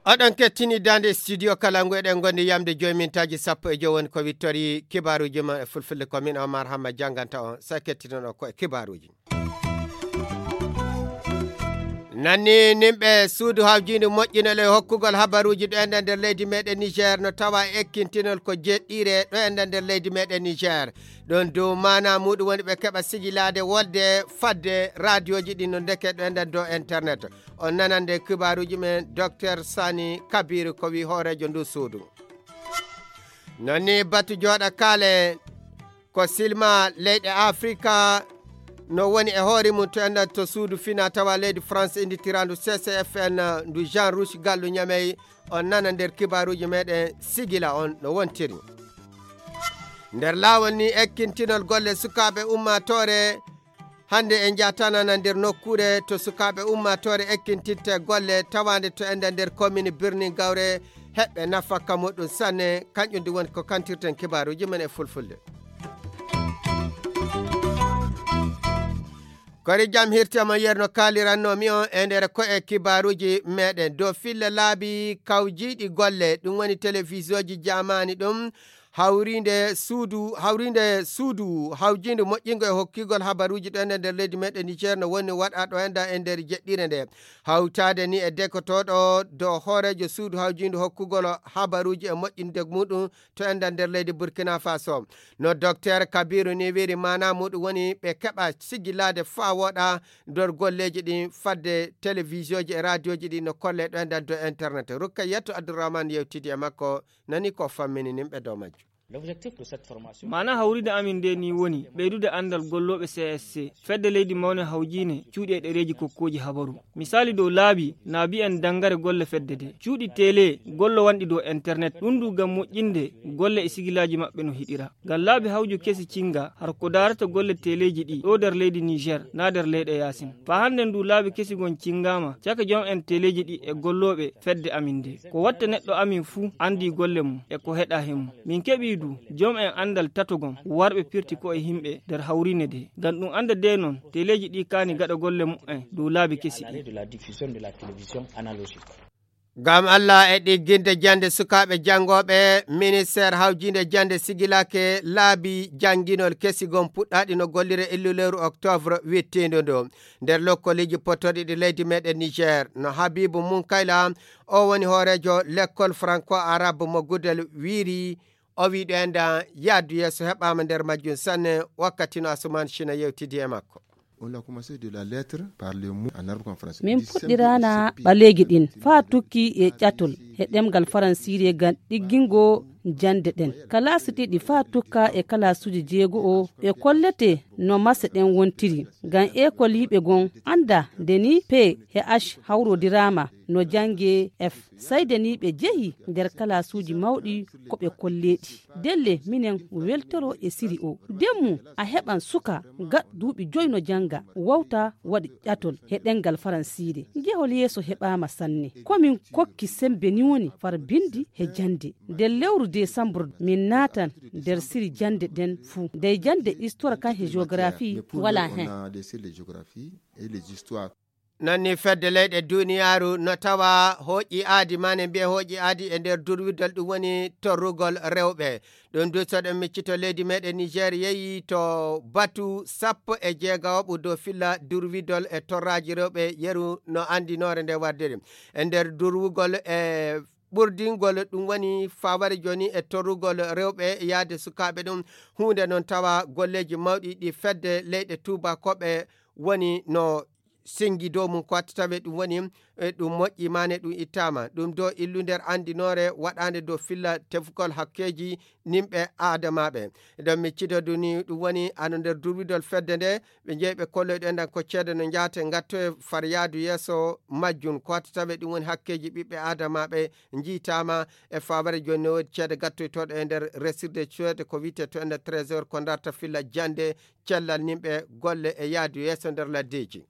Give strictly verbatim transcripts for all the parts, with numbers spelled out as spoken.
Oɗon kettini daande studio kala ngu eɗen ngondi yamde joyi mintaaji sappo e joyi woni ko wittori kibaaruuji ma e fulfulde ko min Omar Hamma jannganta on sa kettinoɗo ko e kibaaruuji. Nanni nimɓe suudu hawjiindu moƴƴinol e hokkugol habaruuji ɗo enda nder leydi meɗen Niger no tawa e ekkintinol ko jeɗɗire ɗo enda nder leydi meɗen Niger. Ɗon dow maana muɗum woni ɓe keɓa sigilaade wolde fadde raadiyoji ɗi no ndeke ɗo enda dow internet. On nanande kibaaruuji men Docteur Sani Kabiru ko wi hooreejo ndu suudu. Nonni batu jooɗa kaale ko silma leyɗe Afrika no woni e hoore mum to enda to suudu fina tawa leydi France inditirandu C C F N ndu Jean Rouge Gallu Ñamey. On nana nder kibaaruuji meɗen sigila on no wontiri. Nder laawol ni ekkintinol golle sukaaɓe ummaatoore hannde en njaatanana nder nokkuure to sukaaɓe ummaatoore ekkintitte golle tawaande to enda nder commune Birnin Gawre heɓɓe nafakka muɗum sanne kanƴum ndi woni ko kantirten kibaaruuji men e fulfulde. Kori jam hirte mo yerno kaaliranno mi on e nder ko e kibaaruuji meɗen dow filla laabi kawjiiɗi golle ɗum woni televisioji jamaani ɗum hawrinde suudu hawrinde suudu hawjinde moƴƴingo e hokkigol habaruuji ɗo enen nder leydi meɗen Niger no woni waɗa ɗo enda e nder jeɗɗire nde hawtaade ni e dekotooɗo dow hooreejo suudu hawjinde hokkugol habaruuji e moƴƴinde muɗum to enda nder leydi Burkina Faso. No Docteur Kabiru ni wiri maana muɗum woni ɓe keɓa sigilaade faa wooɗa nder golleeji ɗin fadde televisioji e raadiyoji ɗi no kolle ɗo enda dow internet. Rukkayatu Abdurrahman yewtidi e makko nani ko fammini nimɓe dow majjum. Maana hawride amin nde ni woni ɓeydude anndal gollooɓe C S C fedde leydi mawne hawjiine cuuɗi e ɗereeji kokkooji habaru. Misaali dow laabi na mbiyen danngare golle fedde nde cuuɗi tele gollo wanɗi dow internet ɗum ndu ngam moƴƴinde golle e sigilaaji maɓɓe no hiɗira. Ngam laabi hawju kesi cinga har ko daarata golle teleeji ɗi ɗo nder leydi Niger na nder leyɗe yaasin. Faa hannde ndu laabi kesi gon cingaama caka jom en teleeji ɗi e gollooɓe fedde amin nde. Ko watta neɗɗo amin fuu anndi golle mum e ko heɗa he mum. Min keɓii du jom en anndal tato gon warɓe pirti ko e himɓe nder hawriine nde. Ngam ɗum annda de non teleeji ɗi kaani gaɗa golle mumen dow laabi kesi ɗi. Ngam Allah e ɗigginde jannde sukaaɓe janngooɓe, ministeer hawjiinde jannde sigilake laabi jannginol kesi gon puɗɗaaɗi no gollire illu lewru octobre wittiindo ndo. Nder lokkoliiji pottorɗi ɗi leydi meɗen Niger, no Habibu Munkayla, o woni hooreejo lekkol franco-arabe mo Gudel wiiri, o wii ɗo enda yaadu yeeso heɓaama nder majjum sanne wakkati no Asuman Shina yewtidi e makko. On a commencé de la lettre par les mots en arabe comme français. Min puɗɗiraana ɓaleeji ɗin faa tukki e ƴatol he ɗemngal faransiire ngam ɗiggingo jannde ɗen. Kalaasi ɗiɗi faa tukka e kalaasuuji jeego o ɓe kollete no mase ɗen wontiri. Ngam ekol yiɓe gon annda nde ni P he H hawrodiraama no jannge F. Sayde ni ɓe jehi nder kalaasuuji mawɗi ko ɓe kolleeɗi. Delle minen weltoro e siri o. Demmu a heɓan suka gaɗ duuɓi joy no jannga, wawta waɗi ƴatol he ɗemngal faransiire. Jehol yeeso heɓaama sanne. Ko min kokki sembe ni woni far binndi he jannde. Nder lewru desambre min naatan nder siri jannde ɗen fuu. Dey jannde histoire kan he géographie walaa hen. Nanni fedde leyɗe duniyaaru no tawa hooƴi aadi maane mbiye hooƴi aadi e nder durwidol ɗum woni torrugol rewɓe. Ɗum du soɗen miccito leydi meɗen Niger yeeyi to batu sappo e jeegawoɓu dow filla durwidol e torraaji rewɓe yeru no anndinoore nde wardiri. E nder durwugol e ɓurdingol ɗum woni faware jooni e torrugol rewɓe yaade sukaaɓe ɗum huunde noon tawa golleeji mawɗi ɗi fedde leyɗe tuubakooɓe woni no singi dow mum ko watti tawe ɗum woni e ɗum moƴƴi mane ɗum ittama ɗum do illu nder andinoore waɗande dow filla tefugol hakkeji nimɓe adamaɓe. Eɗen miccito duni ɗum woni ano nder durwidol fedde nde ɓe jeeyi ɓe kolloyɗo enɗan ko ceede no jaate gatto e far yaadu yeeso majjum ko watti tawe ɗum woni hakkeji ɓiɓɓe adamaɓe jiitama e faware joni no wodi ceede gattoytoɗo e nder resirde ceede ko wiyte to ender trésor ko darta filla jande cellal nimɓe golle e yaadu yeeso nder laddeji.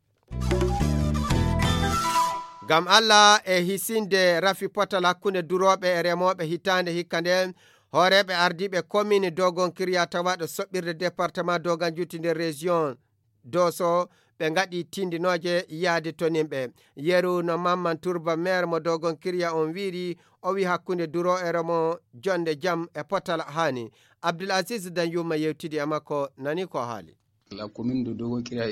Ngam Allah e hisinde rafi potal hakkunde durooɓe e remooɓe hitaande hikka nde Hooreeɓe ardiiɓe commune Dogon Kirya tawaaɗo soɓɓirde département Dogon Juuti nder région Doso ɓe ngaɗi tindinooje yaade to nimɓe. Yeru no Mamman Turba maire mo Dogon Kirya on wiiri, o wi hakkunde duro e remo jonde jam e potal haani. Abdul Aziz Danyuma yewtidi e makko, nani ko haali.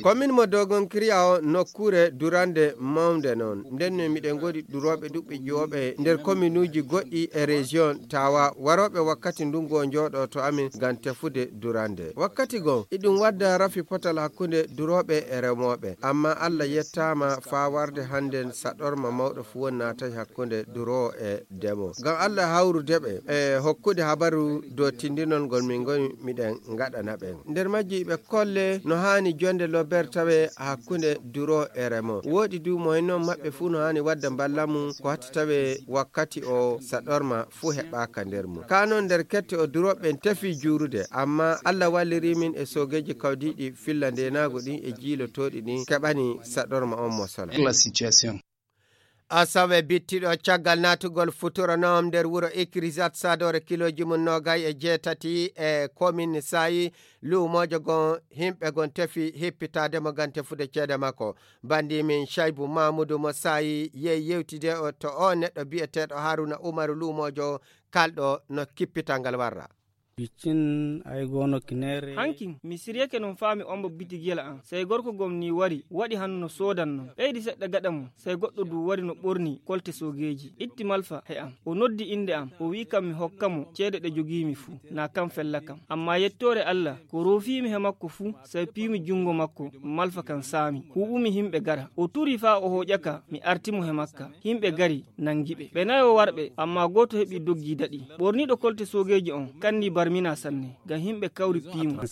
Commune mo Dogon Kirya o nokkuure durande mawnde noon. Nden no miɗen ngoodi durooɓe ɗuɓɓe ƴiwooɓe nder communuuji goɗɗi e région tawa warooɓe wakkati ndungu o njooɗo to amin ngam tefude durande. Wakkati goo, iɗum wadda rafi potal hakkunde durooɓe e remooɓe. Amma Allah yettaama faa warde hannden saɗorma mawɗo fuu won naatay hakkunde duroowo e demo. Ngam Allah hawrude ɓe e hokkude habaru dow tindinol ngol min ngoni miɗen ngaɗana ɓen. Nder majji ɓe kolle no haani jonde lober tawe hakkunde duro e remo. Wooɗi du mo hennon maɓɓe fuu no haani wadda mballa mum ko hatti tawe wakkati o saɗorma fuu heɓaaka nder mum. Kaa noon nder kette o durooɓe ɓen tefi juurude, amma Allah walliri min e soogeeji kawdiiɗi filla ndeenaagu ɗin e jiilotooɗi ɗin keɓani saɗorma on mosala. Asawe bittiɗo caggal naatugol futuro noom nder wuro Ikirisat Sadore kilooji mum noogay e jeetati e komin Saayi, luumoojo gon himɓe gon tefi hippitaade mo ngam tefude ceede makko. Banndi min Caybu Mamudu mo Saayi yehi yewtide o to o neɗɗo biyeteeɗo Haruna Umaru luumoojo kalɗo no kippital ngal warra. Biccin ay goono kineere. Hankin, mi siryake non faa mi omba bitigiyel am. Sey gorko gom nii wari, waɗi hano no soodan non. Ɓeydi seɗɗa gaɗa mum, sey goɗɗo duu wari no ɓornii kolte soogeeji. Itti malfa he am. O noddi innde am, o wi'i kam mi hokka mo ceede ɗe jogiimi fuu, naa kam fella kam. Ammaa yettoore Alla, ko roofiimi he makko fuu, sey piimi junngo makko, malfa kan saami. Huuɓumi himɓe gara. O turi faa o hooƴa ka, mi arti mo he makka. Himɓe gari, nangi ɓe. Ɓe nayo warɓe, ammaa gooto heɓi doggi daɗi. Ɓorniiɗo kolte soogeeji on, kanni barmina sanne, ngam himɓe kawri piimo.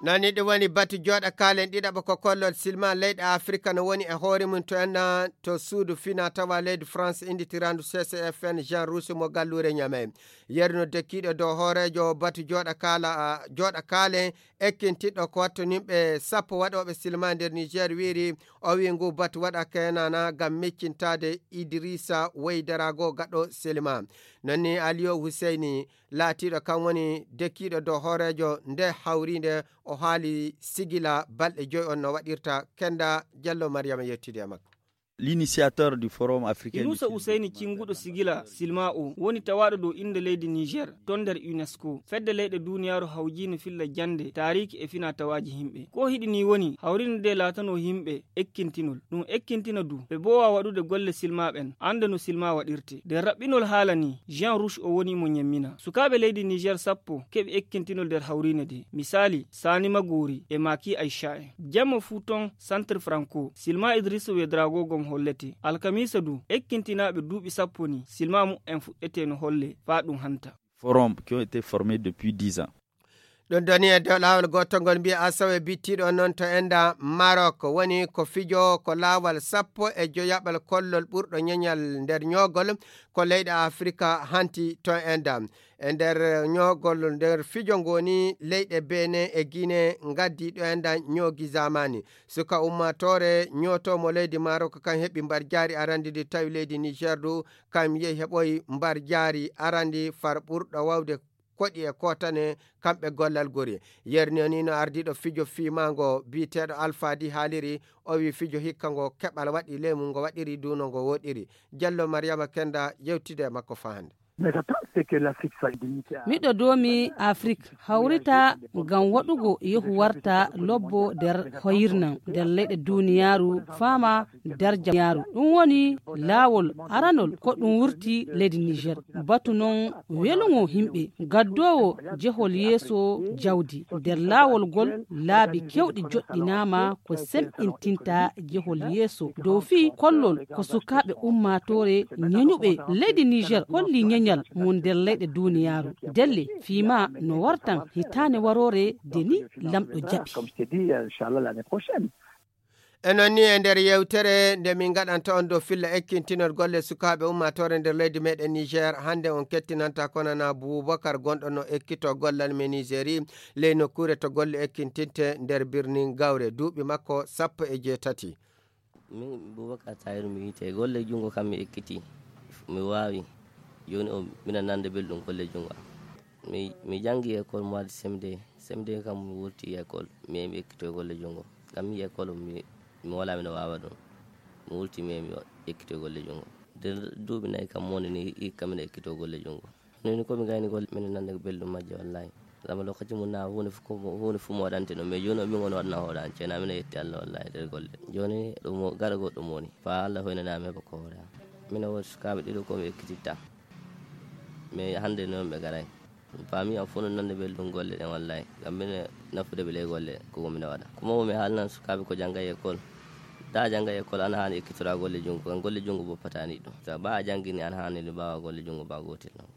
Nani ɗum woni batu jooɗa kaalen ɗiɗaɓo ko kollol silma leyɗe Afrika no woni e hoore mum to enna to suudu fina tawa leydi France inditirandu C C F N Jean Rousse mo galluure Ñamey. Yerno dekkiiɗo dow hooreejo batu jooɗa kaala, jooɗa kaalen ekkintiɗɗo ko watto nimɓe sappo waɗooɓe silma nder Niger wiiri o wii ngu batu waɗa keenana ngam meccintaade Idrissa Weydarago gaɗo silma. Non ni Aliyo Huseyni laatiiɗo kan woni dekkiiɗo dow hooreejo nde hawriinde o haali sigila balɗe joy on no waɗirta kenda jallo Mariama yettidi e makko. L'initiateur du forum africain Inusa Useyni cinguɗo sigila silma o woni tawaaɗo dow innde leydi Niger ton nder UNESCO. Fedde leyɗe duuniyaaru hawjiino filla jannde, taariiki e fina tawaaji himɓe. Ko hiɗi nii woni hawrinde nde laatanoo himɓe ekkintinol. Ɗum ekkintina du ɓe boowa waɗude golle silma ɓen, annda no silma waɗirte. Nder raɓɓinol haala nii, Jean Rouge o woni mo ñemmina. Sukaaɓe leydi Niger sappo keɓi ekkintinol nder hawriine nde. Misaali, Sani Magori e Maki Aisha en. Jamma fuu ton Centre Franco, silma Idrissa Ouédraogo gom hollete. Alkamiisa du, ekkintinaaɓe duuɓi sappo ni, silma mu'en fuɗɗete no holle, faa ɗum hanta. Forum qui ont été formés depuis dix ans. Ɗum doni e dow laawol gootol ngol mbiya asawe bittiiɗo noon to enda Maroc woni ko fijo ko laawol sappo e joyaɓal kollol ɓurɗo ñeñal nder ñoogol ko leyɗe Afrika hanti to enda. E nder ñoogol nder fijo ngoni leyɗe Benin e Guinée ngaddi ɗo enda ñoogi zamani. Suka ummatore ñooto mo leydi Maroc kan heɓi mbar jaari arandi ndi tawi leydi Niger du kam yehi heɓoyi mbar jaari arandi far ɓurɗo wawde koɗi e kootane kamɓe gollal gori. Yerni o ni no ardiiɗo fijo fiimaango biyeteeɗo Alfadi haaliri, o wi fijo hikka ngo keɓal waɗi ley mum ngo waɗiri du no ngo woɗiri. Jallo Mariama Kenda yewtide e makko faa hannde. Miɗo doomi Afrik hawrita ngam waɗugo yehu warta lobbo nder hoyirnam nder leyɗe duniyaaru faama darja duniyaaru. Ɗum woni laawol aranol ko ɗum wurti leydi Niger. Batu noon welugo yimɓe gaddoowo jehol yeeso jawdi nder laawol ngol laabi keewɗi joɗɗinaama ko semɓintinta jehol yeeso dow fii kollol ko sukaaɓe ummaatoore ñeñuɓe leydi Niger holli ñeñal mum nder leyɗe duniyaaru. Ndelle fii ma no wartan hitaande waroore de ni lamɗo jaɓi. E noon ni e nder yewtere nde min ngaɗanta on dow filla ekkintinol golle sukaaɓe ummaatoore nder leydi meɗen Niger, hannde on kettinanta konana Boubacar gonɗo no ekkito gollal men Nigeri ley nokkuure to golle ekkintinte nder birnin Gawre duuɓi makko sappo e jeetati. Min Boubacar Tahiru mi wiyte golle junngo kam mi ekkiti. Mi waawi. Jooni o, mbiɗa nande belɗum golle junngo am. Mi, mi janngi école mois de C M deux. C M deux kam mi wurti école. Mi heɓi ekkito golle junngo. Ngam mi école mi, mi wala mino waawa ɗum. Mi wurti mi heɓi ekkito golle junngo. Nder duuɓi nayi kam moni ni hikka mino ekkito golle junngo. Noni ko mi gayni golle mino nande belɗum majje wallahi. Zama lokaci mun na huunde fu ko mo, huunde fu mo waɗante no. Mais jooni o min woni waɗana hoore an. Ceena mino yetti Allah wallahi nder golle. Jooni ɗum o, gaɗa goɗɗum woni. Fa Allah hoynana mi heɓa ko hoore am. Mino woodi sukaaɓe ɗiɗo ko mi ekkititta. Mais hannde noon ɓe garay. Faami am fof no nande belɗum golle ɗen wallahi. Ngam mino nafude ɓe ley golle ko mino waɗa. Kuma o mi haalnan sukaaɓe ko janngay école. Da janngay école ana haani ekkitora golle junngo. Ngam golle junngo boppata ni ɗum. Sa ba a janngini ana haani ni mbaawa golle junngo ba gootel noon.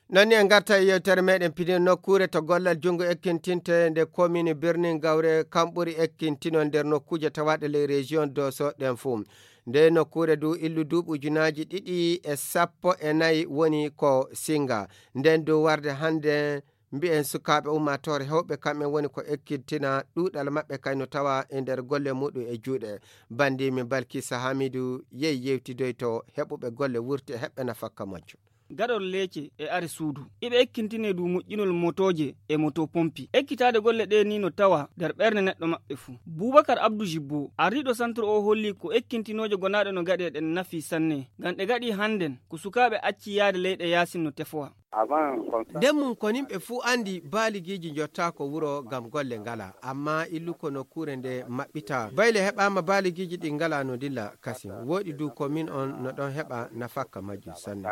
Noon ni en ngarta e yewtere meɗen pine nokkuure to gollal junngo ekkintinte nde commune Birnin Gawre kam ɓuri ekkintinol nder nokkuuje tawaaɗe ley région Doso ɗen fuu. Nde nokkuure du illu duuɓi ujunaaji ɗiɗi e sappo e nayi woni ko singa. Nden du warde hannde mbi'en sukaaɓe ummaatoore hewɓe kamɓe woni ko ekkintina ɗuuɗal maɓɓe kay no tawa e nder golle muɗum e juuɗe. Banndi min Balkisa Hamidu yehi yewtidoyto heɓuɓe golle wurti e heɓɓe nafakka majjum. Gaɗol leece e are suudu. Iɓe ekkintinee du moƴƴinol motooje e moto pompi. Ekkitaade golle ɗee ni no tawa nder ɓernde neɗɗo maɓɓe fuu. Buubakar Abdu Jibbo, ardiiɗo santre o holli ko ekkintinooje gonaaɗe no gaɗee ɗen nafi sanne. Ngam ɗe gaɗi hannden ko sukaaɓe acci yaade leyɗe yaasin no tefowa. Nden mum ko nimɓe fuu anndi baaligiiji njottaako wuro ngam golle ngala. Amma illu ko nokkuure nde maɓɓita. Bayle heɓaama baaligiiji ɗi ngala no dilla kasin. Wooɗi du ko min on no ɗon heɓa nafakka majjum sanne.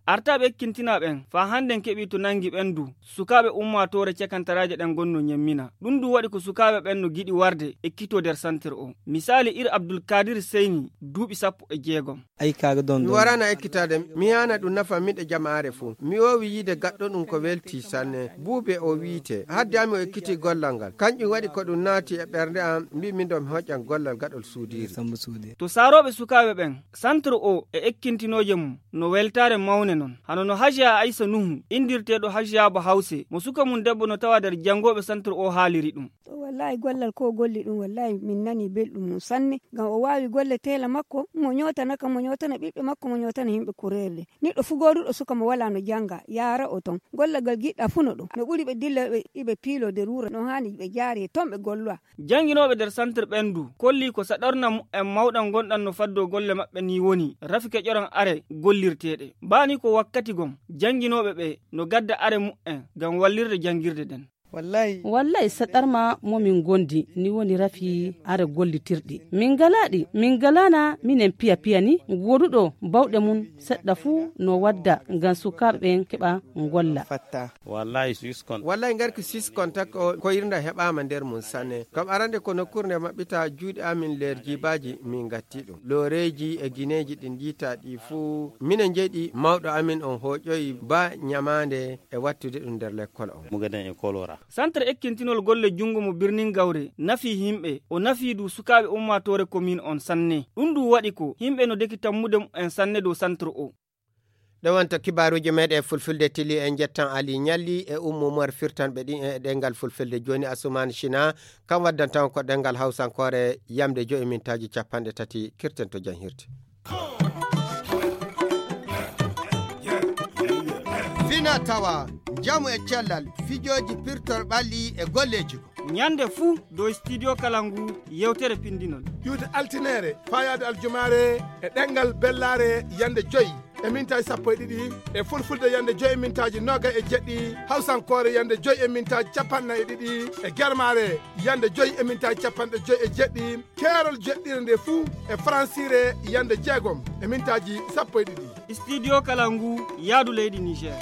Artaaɓe ekkintinaa ɓen faa hannden keɓii to nanngi ɓen du. Sukaaɓe ummaatoore cakantaraaje ɗen gonno ñemmina. Ɗum du waɗi ko sukaaɓe ɓen no giɗi warde ekkitoo nder santir o. Misaali ir Abdul Kadir Seyni duuɓi sappo e jeegom. Mi warana ekkitaade, mi yaana ɗum nafa miɗe jamaare fuu. Mi oowi yiide gaɗɗo ɗum ko welti sanne. Buube o wiite. Hadde ami o ekkitii gollal ngal. Kanƴum waɗi ko ɗum naati e ɓernde am, mbiimi ndo mi hoƴƴan gollal gaɗol suudiiri. To saarooɓe sukaaɓe ɓen, santre o e ekkintinooje mum no weltaare mawne non. Hano no Hajiya Aysa Nuhu, inndirteeɗo Hajiya Ba Hawse, mo suka mum debbo no tawa nder janngooɓe santre o haaliri ɗum. To wallahi gollal ko golli ɗum, wallahi min nani belɗum mum sanne. Ngam o waawi golle teela makko, mo ñootana kam, mo ñootana ɓiɓɓe makko, mo ñootana yimɓe kureele. Neɗɗo fuu gooduɗo suka mo walaa no jannga, yaara o ton. Gollal ngal giɗɗa fuu no ɗum. No ɓuri ɓe dilla ɓe, iɓe piilo nder wuro, no haani ɓe jaari ton ɓe gollowa. Jannginooɓe nder santir ɓen du, kolli ko saɗorna mu'en mawɗan ngonɗan no faddoo golle maɓɓe ni woni, rafi keƴoran are gollirteeɗe. Baa ni ko wakkati gom, jannginooɓe ɓe no gadda are mu'en ngam wallirde janngirde nden. Wallahi. Wallahi, saɗarma mo min ngondi, ni woni rafi are gollitirɗi. Min ngalaa ɗi, min ngalaana minen piya piya ni, gooduɗo bawɗe mum seɗɗa fuu no wadda ngam sukaaɓe ɓen keɓa ngolla. Wallahi, sis kon. Wallahi, ngarki sis kon tak o, ko irnda heɓaama nder mum sanne. Kam arande ko nokkuure nde maɓɓita juuɗe amin leer jiibaaji min ngatti ɗum. Looreeji e gineeji ɗin njiita ɗi fuu. Minen njeɗi mawɗo amin on hooƴoyi ba ñamaande e wattude ɗum nder lekkol on. Mugaden e kolora. Santre ekkintinol golle junngo mo birnin Gawre nafii yimɓe, o nafii du sukaaɓe ummaatoore komin on sanne. Ɗum du waɗi ko yimɓe no deki tammude mumen sanne dow santre o. Ɗo wonta kibaaruuji meɗen e fulfulde tili en njettan Ali Ñalli e Ummu Umar firtanɓe ɗin e ɗengal fulfulde. Jooni Asumaan Sina kam waddanta on ko ɗengal hawsankoore yamde joyi mintaaji capanɗe tati kirten to janhirde. Fina tawa, njamu e cellal, fijooji pirtor ɓalli e golleeji ko. Ñande fuu dow Studio Kalangu yewtere pindinol. Iwde altineere, faayaade aljumaare e ɗengal bellaare yande joyi e mintaaji sappo e ɗiɗi, e fulfulde yande joyi e mintaaji noogay e jeɗɗi, hawsankoore yande joyi e mintaaji capanɗe nayi e ɗiɗi, e germaare yande joyi e mintaaji capanɗe joyi e jeɗɗi, keerol jeɗɗire nde fuu e faransiire yande jeegom e mintaaji sappo e ɗiɗi. Studio Kalangu, yaadu leydi Niger.